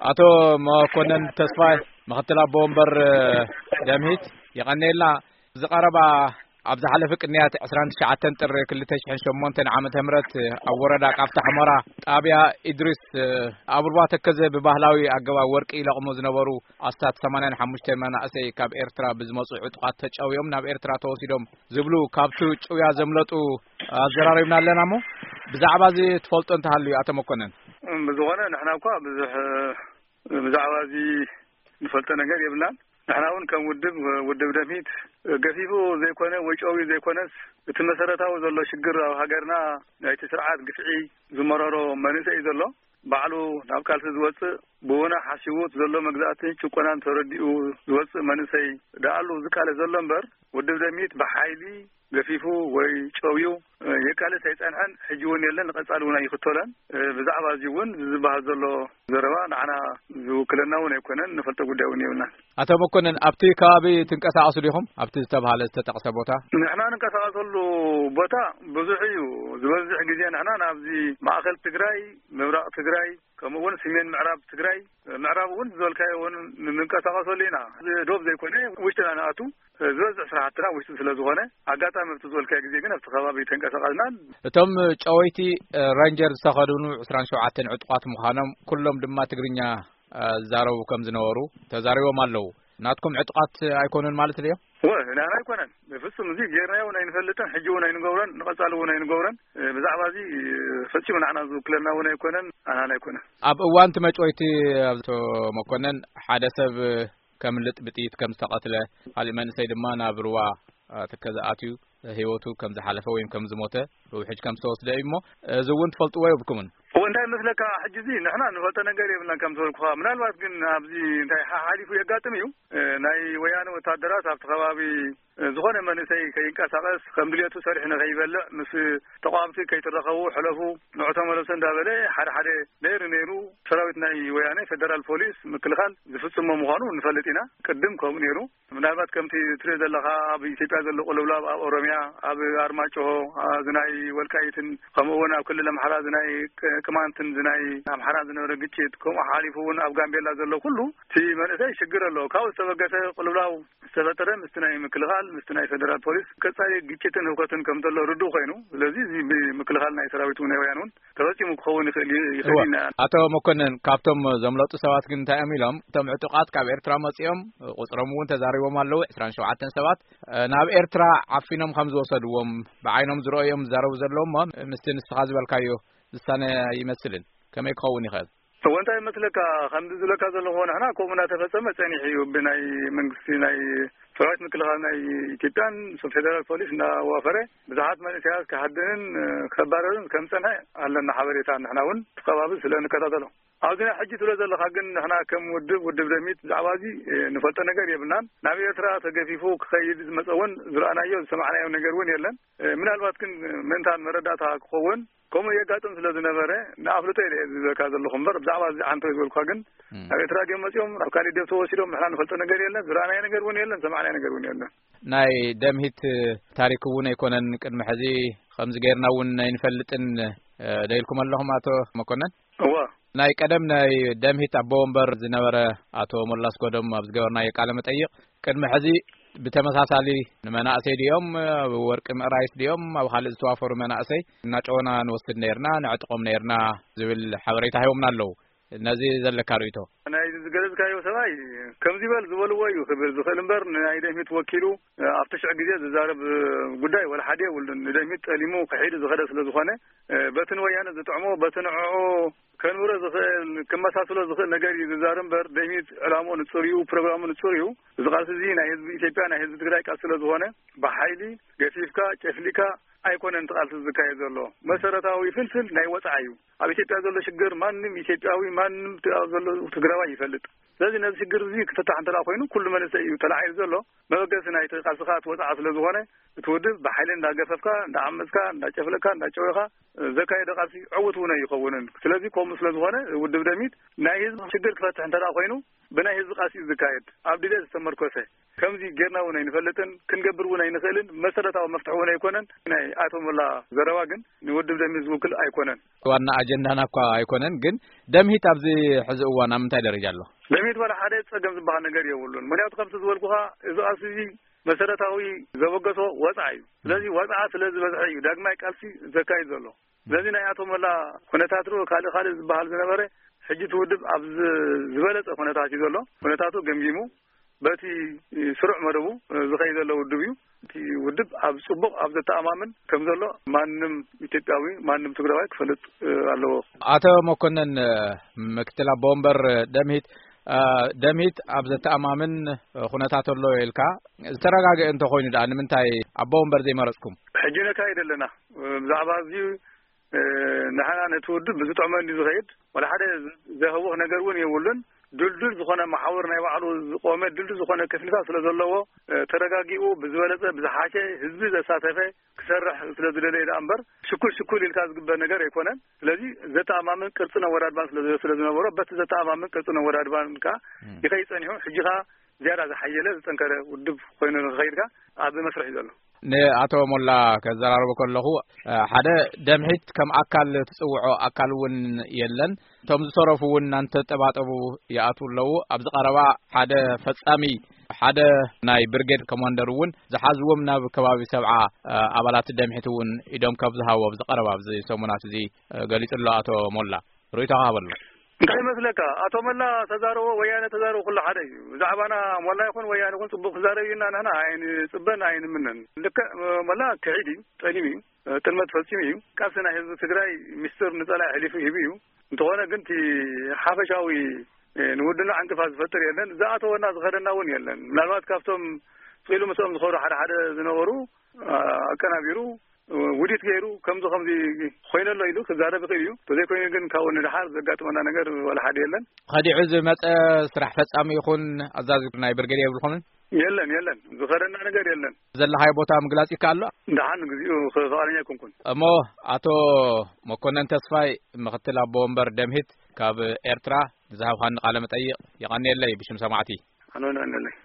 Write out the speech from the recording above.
ኣቶ መኮነን ተስፋይ፣ ምኽትል ኣቦ ወንበር ደምሂት፣ የቐንየልና። ዝቐረባ ኣብ ዝሓለፈ ቅንያት ዕስራን ትሽዓተን ጥሪ ክልተ ሽሕን ሸሞንተን ዓመተ ምህረት ኣብ ወረዳ ቃፍታ ሑመራ ጣብያ ኢድሪስ ኣብ ሩባ ተከዘ ብባህላዊ ኣገባብ ወርቂ ይለቕሙ ዝነበሩ ኣስታት ሰማንያን ሓሙሽተ መናእሰይ ካብ ኤርትራ ብዝመጹ ዕጡቓት ተጨውዮም ናብ ኤርትራ ተወሲዶም ዝብሉ ካብቲ ጭውያ ዘምለጡ ኣዘራሪብና ኣለና። እሞ ብዛዕባ እዚ ትፈልጦ እንተሃልዩ ኣቶ መኮነን? ብዝኾነ ንሕና እኳ ብዙሕ ብዛዕባ እዚ ንፈልጦ ነገር የብልናን። ንሕና እውን ከም ውድብ፣ ውድብ ደምሂት ገፊፉ ዘይኮነ ወይ ጨውዩ ዘይኮነስ፣ እቲ መሰረታዊ ዘሎ ሽግር ኣብ ሃገርና ናይቲ ስርዓት ግፍዒ ዝመረሮ መንእሰይ እዩ ዘሎ። ባዕሉ ናብ ቃልሲ ዝወጽእ፣ ብወና ሓሲቡ እቲ ዘሎ መግዛእትን ጭቆናን ተረዲኡ ዝወጽእ መንእሰይ ደኣሉ ዝቃለስ ዘሎ እምበር፣ ውድብ ደምሂት ብሓይሊ ገፊፉ ወይ ጨውዩ የቃልስ ኣይጸንሐን፣ ሕጂ እውን የለን፣ ንቐጻሊ እውን ኣይኽተሎን። ብዛዕባ እዚ እውን ዝበሃል ዘሎ ዘረባ ንዓና ዝውክለና እውን ኣይኮነን፣ ንፈልጦ ጉዳይ እውን የብልናን። ኣቶ መኮነን፣ ኣብቲ ከባቢ ትንቀሳቐሱ ዲኹም? ኣብቲ ዝተባሃለ ዝተጠቕሰ ቦታ? ንሕና ንንቀሳቐሰሉ ቦታ ብዙሕ እዩ። ዝበዝሕ ግዜ ንሕና ናብዚ ማእከል ትግራይ፣ ምብራቕ ትግራይ፣ ከምኡ እውን ሰሜን ምዕራብ ትግራይ፣ ምዕራብ እውን ዝበልካዮ እውን ንንቀሳቐሰሉ ኢና። እዚ ዶብ ዘይኮነ ውሽጥና ንኣቱ፣ ዝበዝሕ ስራሕትና ውሽጢ ስለ ዝኾነ፣ ኣጋጣሚ ኣብቲ ዝበልካዮ ግዜ ግን ኣብቲ ከባቢ ተንቀሳቐስናን። እቶም ጨወይቲ ረንጀር ዝተኸድኑ ዕስራን ሸውዓተን ዕጡቓት ምዃኖም ኩሎም ድማ ትግርኛ ዝዛረቡ ከም ዝነበሩ ተዛሪቦም ኣለዉ። ናትኩም ዕጡቓት ኣይኮኑን ማለት ድዮም? ወ-፣ ናና ኣይኮነን። ብፍጹም እዚ ጌርናዮ እውን ኣይንፈልጥን፣ ሕጂ እውን ኣይንገብሮን፣ ንቐጻሊ እውን ኣይንገብሮን። ብዛዕባ እዚ ፈጺሙ ንዓና ዝውክለና እውን ኣይኮነን፣ ኣናን ኣይኮነን። ኣብ እዋን እቲ መጭወይቲ ኣቶ መኮነን ሓደ ሰብ ከምልጥ ብጥይት ከም ዝተቐትለ፣ ካሊእ መንእሰይ ድማ ናብ ሩባ ተከዘ ኣትዩ ህይወቱ ከም ዝሓለፈ ወይም ከም ዝሞተ ብውሕጅ ከም ዝተወስደ እዩ። እሞ እዚ እውን ትፈልጥዎ የብልኩምን? እዎ፣ እንታይ መስለካ፣ ሕጂ እዚ ንሕና ንፈልጦ ነገር የብልናን። ከም ዝበልኩኻ፣ ምናልባት ግን ኣብዚ እንታይ ሓሓሊፉ የጋጥም እዩ። እ፣ ናይ ወያነ ወታደራት ኣብቲ ከባቢ፣ እ፣ ዝኾነ መንእሰይ ከይንቀሳቐስ፣ ከም ድሌቱ ሰሪሑ ንኸይበልዕ፣ ምስ ተቋምቲ ከይትራኸቡ ሕለፉ፣ ንዑ ተመለሱ እንዳበለ ሓደ ሓደ ነይሩ ነይሩ። ሰራዊት ናይ ወያነ፣ ፌደራል ፖሊስ፣ ምክልኻል ዝፍጽሞ ምዃኑ ንፈልጥ ኢና። ቅድም ከምኡ ነይሩ። ምናልባት ከምቲ ትሪኦ ዘለኻ ኣብ ኢትዮጵያ ዘሎ ቅልውላብ፣ ኣብ ኦሮሚያ፣ ኣብ ኣርማጭሆ፣ አ፣ ዝናይ ወልቃይትን ከምኡ እውን ኣብ ክልል ኣምሓራ ዝናይ ቅ-፣ ቅማንትን ዝናይ ኣምሓራን ዝነበረ ግጭት፣ ከምኡ ሓሊፉ እውን ኣብ ጋምቤላ ዘሎ ኩሉ እቲ መንእሰይ ሽግር ኣሎ። ካብኡ ዝተበገሰ ቅልውላው ዝተፈጠረ ምስቲ ናይ ምክልኻል፣ ምስቲ ናይ ፌደራል ፖሊስ ቀጻሊ ግጭትን ህውከትን ከም ዘሎ ርዱእ ኮይኑ፣ ስለዚ እዚ ብምክልኻል ናይ ሰራዊት እውን ናይ ወያነ እውን ተፈጺሙ ክኸውን ይኽእል እዩ፣ ይኽእል እወ። ኢና። ኣቶ መኮንን፣ ካብቶም ዘምለጡ ሰባት ግን እንታይ እዮም ኢሎም? እቶም ዕጡቓት ካብ ኤርትራ መጺኦም፣ ቁጽሮም እውን ተዛሪቦም ኣለዉ፣ ዕስራን ሸውዓተን ሰባት፣ እ፣ ናብ ኤርትራ ዓፊኖም ከም ዝወሰድዎም ብዓይኖም ዝረኣዮም ዝዛረቡ ዘለዉ እሞ፣ ምስቲ ንስኻ ዝበልካዮ ዝሳነ ይመስልን። ከመይ ክኸውን ይኽእል? እወ፣ እንታይ ይመስለካ፣ ከምዚ ዝብለካ ዘለኹ ንሕና ከምኡ እናተፈጸመ ጸኒሑ እዩ። ብናይ መንግስቲ ናይ ሰራዊት ምክልኻል ናይ ኢትዮጵያን ፌደራል ፖሊስ እናዋፈረ ብዙሓት መንእሰያት ክሃድንን፣ እ፣ ከባረርን ከም ጸንሐ ኣለና ሓበሬታ። ንሕና እውን እቲ ከባቢ ስለ ንከታተሎ። ኣብዚ ናይ ሕጂ ትብሎ ዘለኻ ግን ንሕና ከም ውድብ፣ ውድብ ደሚት ብዛዕባ እዚ፣ እ፣ ንፈልጦ ነገር የብልናን። ናብ ኤርትራ ተገፊፉ ክኸይድ ዝመጸ እውን ዝረኣናዮ ዝሰማዕናዮ ነገር እውን የለን። እ፣ ምናልባት ግን ምእንታን መረዳእታ ክኸውን ከምኡ የጋጥም ስለ ዝነበረ ንኣፍልጦ ኢለ እየ ዝብለካ ዘለኹ እምበር ብዛዕባ እዚ ዓንቶ ዝበልኳ ግን እም። ናብ ኤርትራ ድዮም መጺኦም፣ ናብ ካሊእ ድዮም ተወሲዶም፣ ንሕና ንፈልጦ ነገር የለን፣ ዝረኣናዮ ነገር እውን የለን፣ ዝሰማዕናዮ ነገር እውን የለን። ናይ ደምሂት ታሪክ እውን ኣይኮነን ቅድሚ ሕዚ ከምዚ ጌርና እውን ኣይንፈልጥን፣ እ፣ ዶ ኢልኩም ኣለኹም ኣቶ መኮነን? እወ። ናይ ቀደም ናይ ደምሂት ኣቦ ወንበር ዝነበረ ኣቶ ሞላስ ጎዶም ኣብ ዝገበርናዮ ቃለ መጠይቕ፣ ቅድሚ ሕዚ ብተመሳሳሊ ንመናእሰይ ድዮም፣ ኣብ ወርቂ ምእራይስ ድዮም፣ ኣብ ካልእ ዝተዋፈሩ መናእሰይ እናጨወና ንወስድ ነይርና፣ ነዕጥቖም ነይርና ዝብል ሓበሬታ ሂቦምና ኣለዉ። ነዚ ዘለካ ርእይቶ? ናይ ዝገለጽካዮ ሰብኣይ ከምዚ በል ዝበልዎ እዩ ክብል ዝኽእል እምበር፣ ናይ ደምሂት ወኪሉ ኣብቲ ሽዕ ግዜ ዝዛረብ ጉዳይ ወላ ሓደ የብሉን። ንደምሂት ጠሊሙ ክሒዱ ዝኸደ ስለ ዝኾነ፣ በቲ ንወያነ ዝጥዕሞ፣ በቲ ንዕዑ ከንብሮ ዝኽእል፣ ክመሳስሎ ዝኽእል ነገር እዩ ዝዛረብ እምበር፣ ደምሂት ዕላምኡ ንጹር እዩ፣ ፕሮግራሙ ንጹር እዩ። እዚ ቃልሲ እዚ ናይ ህዝቢ ኢትዮጵያ፣ ናይ ህዝቢ ትግራይ ቃልሲ ስለ ዝኾነ፣ ብሓይሊ ገፊፍካ፣ ጨፍሊካ ኣይኮነን እቲ ቃልሲ ዝካየድ ዘሎ። መሰረታዊ ፍልፍል ናይ ወጽዓ እዩ። ኣብ ኢትዮጵያ ዘሎ ሽግር ማንም ኢትዮጵያዊ፣ ማንም ት-፣ ኣብ ዘሎ ትግራዋይ ይፈልጥ። ስለዚ ነዚ ሽግር እዚ ክፍታሕ እንተ ደኣ ኮይኑ፣ ኩሉ መንእሰይ እዩ ተላዒሉ ዘሎ። መበገሲ ናይቲ ቃልስኻ እቲ ወጽዓ ስለ ዝኾነ፣ እቲ ውድብ ብሓይሊ እንዳገፈፍካ፣ እንዳዓመጽካ፣ እንዳጨፍለካ፣ እንዳጨወኻ ዘካየደ ቃልሲ ዕዉት እውን ኣይኸውንን። ስለዚ ከምኡ ስለ ዝኾነ፣ ውድብ ደሚት ናይ ህዝቢ ሽግር ክፈትሕ እንተ ደኣ ኮይኑ፣ ብናይ ህዝቢ ቃልሲ እዩ ዝካየድ፣ ኣብ ድሌት ዝተመርኮሰ። ከምዚ ጌርና እውን ኣይንፈልጥን፣ ክንገብር እውን ኣይንኽእልን። መሰረታዊ መፍትሒ እውን ኣይኮነን። ናይ ኣቶ ሞላ ዘረባ ግን ንውድብ ደምሂት ዝውክል ኣይኮነን። ዋና ኣጀንዳና እኳ ኣይኮነን፣ ግን ደምሂት ኣብዚ ሕዚ እዋን ኣብ ምንታይ ደረጃ ኣሎ? ደምሂት ዋላ ሓደ ጸገም ዝበሃል ነገር የብሉን። ምክንያቱ ከምቲ ዝበልኩኻ፣ እዚ ቃልሲ እዚ መሰረታዊ ዘበገሶ ወጽዓ እዩ። ስለዚ ወጽዓ ስለ ዝበዝሐ እዩ ዳግማይ ቃልሲ ዘካይድ ዘሎ። ስለዚ ናይ ኣቶ ሞላ ኩነታት ዶ ካልእ ካልእ ዝበሃል ዝነበረ፣ ሕጂ እቲ ውድብ ኣብ ዝ-፣ ዝበለጸ ኩነታት እዩ ዘሎ። ኩነታቱ ገምጊሙ በቲ ስሩዕ መደቡ ዝኸይድ ዘሎ ውድብ እዩ። እቲ ውድብ ኣብ ጽቡቕ፣ ኣብ ዘተኣማምን ከም ዘሎ ማንም ኢትዮጵያዊ፣ ማንም ትግራዋይ ክፈልጥ ኣለዎ። ኣቶ መኮንን፣ ምክትል ኣቦ ወንበር ደምሂት፣ ደምሂት ኣብ ዘተኣማምን ኩነታት ኣሎ ኢልካ፣ ዝተረጋገአ እንተኾይኑ ደኣ ንምንታይ ኣቦ ወንበር ዘይመረጽኩም? ሕጂ ነካይድ ኣለና። ብዛዕባ እዚ፣ ንሕና ነቲ ውድብ ብዝጥዕመ እንዲ ዝኸይድ፣ ወላ ሓደ ዘህውኽ ነገር እውን የብሉን። ድልዱል ዝኾነ መሓውር ናይ ባዕሉ ዝቆመ ድልዱል ዝኾነ ክፍልታት ስለ ዘለዎ፣ ተረጋጊኡ ብዝበለጸ ብዝሓሸ ህዝቢ ዘሳተፈ ክሰርሕ ስለ ዝደለየ ደኣ እምበር፣ ሽኩል ሽኩል ኢልካ ዝግበር ነገር ኣይኮነን። ስለዚ ዘተኣማምን ቅርጽን ኣወዳድባን ስለ ስለ ዝነበሮ፣ በቲ ዘተኣማምን ቅርጽን ኣወዳድባን ከኣ ይኸይድ ጸኒሑ። ሕጂ ከኣ ዝያዳ ዝሓየለ ዝጠንከረ ውድብ ኮይኑ ንክኸይድ ከኣ ኣብ መስርሕ እዩ ዘሎ። ንኣቶ ሞላ ከዘራርቦ ከለኹ፣ ሓደ ደምሒት ከም ኣካል ትጽውዖ ኣካል እውን የለን። እቶም ዝተረፉ እውን እናተጠባጠቡ ይኣትዉ ኣለዉ። ኣብዚ ቀረባ ሓደ ፈጻሚ፣ ሓደ ናይ ብርጌድ ኮማንደር እውን ዝሓዝዎም ናብ ከባቢ ሰብዓ ኣባላት ደምሒት እውን ኢዶም ካብ ዝሃቡ ኣብዚ ቀረባ ኣብዚ ሰሙናት እዚ ገሊጹ ኣሎ ኣቶ ሞላ። ርእይቶኻ ሃበሉ። እንታይ ይመስለካ? ኣቶ ሞላ ተዛረቦ፣ ወያነ ተዛረቦ፣ ኩሉ ሓደ እዩ። ብዛዕባና ሞላ ይኹን ወያነ ይኹን ጽቡቕ ክዛረብ ኢና ንሕና ኣይንጽበን ኣይንምነን። ልክዕ ሞላ ክሒድ እዩ፣ ጠሊም እዩ። ጥልመት ፈጺሙ እዩ። ቃልሲ ናይ ህዝቢ ትግራይ ሚስጥር ንጸላኢ ኣሕሊፉ ሂቡ እዩ። እንተኾነ ግን እቲ ሓፈሻዊ ንውድና ዕንቅፋት ዝፈጥር የለን። ዝኣተወና ዝኸደና እውን የለን። ምናልባት ካብቶም ስቕ ኢሉ ምስኦም ዝኸዱ ሓደ ሓደ ዝነበሩ ኣቀናቢሩ ውዲት ገይሩ ከምዚ ከምዚ ኮይነ ኣሎ ኢሉ ክዛረብ ይኽእል እዩ። ተዘይኮይኑ ግን ካብኡ ንደሓር ዘጋጥመና ነገር ዋላ ሓደ የለን። ከዲዑ ዝመጸ ስራሕ ፈጻሚ ይኹን ኣዛዚ ናይ ብርጌድ የብልኩምን? የለን፣ የለን። ዝኸደና ነገር የለን። ዘለኻዮ ቦታ ምግላጽ ይከኣል ኣሎ? ደሓን፣ ንግዚኡ ፍቓደኛ ኣይኮንኩን። እሞ ኣቶ መኮነን ተስፋይ፣ ምኽትል ኣቦ ወንበር ደምሂት ካብ ኤርትራ፣ ንዝሃብካኒ ቃለ መጠይቕ የቐንየለይ ብሽም ሰማዕቲ። ኣነ እውን የቐንየለይ።